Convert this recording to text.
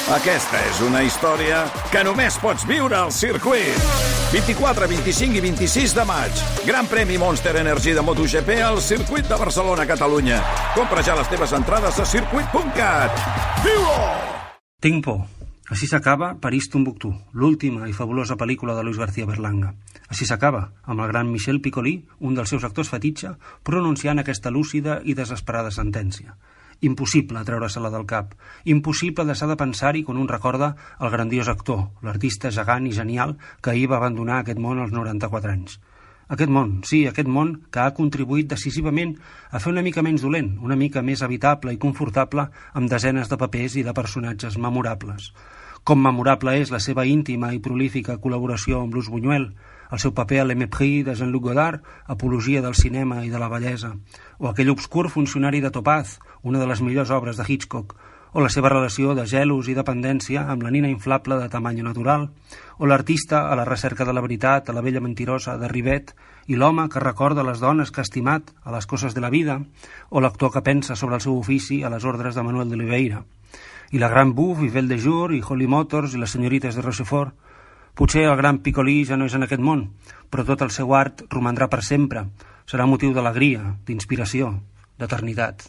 Aquesta és una història que només pots viure al circuit. 24, 25 i 26 de maig. Gran premi Monster Energy de MotoGP al circuit de Barcelona, Catalunya. Compra ja les teves entrades a circuit.cat. Viu-ho! Tinc por. Així s'acaba París-Tombuctú, l'última i fabulosa pel·lícula de Luis García Berlanga. Així s'acaba, amb el gran Michel Piccoli, un dels seus actors fetitxe, pronunciant aquesta lúcida i desesperada sentència. Impossible treure-se-la del cap. Impossible deixar de pensar-hi quan un recorda el grandiós actor, l'artista gegant i genial que ahir va abandonar aquest món als 94 anys. Aquest món, sí, aquest món que ha contribuït decisivament a fer una mica menys dolent, una mica més habitable i confortable amb desenes de papers i de personatges memorables. Com memorable és la seva íntima i prolífica col·laboració amb Luz Buñuel, el seu paper a l'Emepris de Jean-Luc Godard, apologia del cinema i de la bellesa, o aquell obscur funcionari de Topaz, una de les millors obres de Hitchcock, o la seva relació de gelos i dependència amb la nina inflable de tamany natural, o l'artista a la recerca de la veritat, a la vella mentirosa de Ribet, i l'home que recorda les dones que ha estimat a les coses de la vida, o l'actor que pensa sobre el seu ofici a les ordres de Manuel de Oliveira, i la gran Bouffe, i Belle de Jour, i Holly Motors, i les senyorites de Rochefort. Potser el gran Piccoli ja no és en aquest món, però tot el seu art romandrà per sempre. Serà motiu d'alegria, d'inspiració, d'eternitat.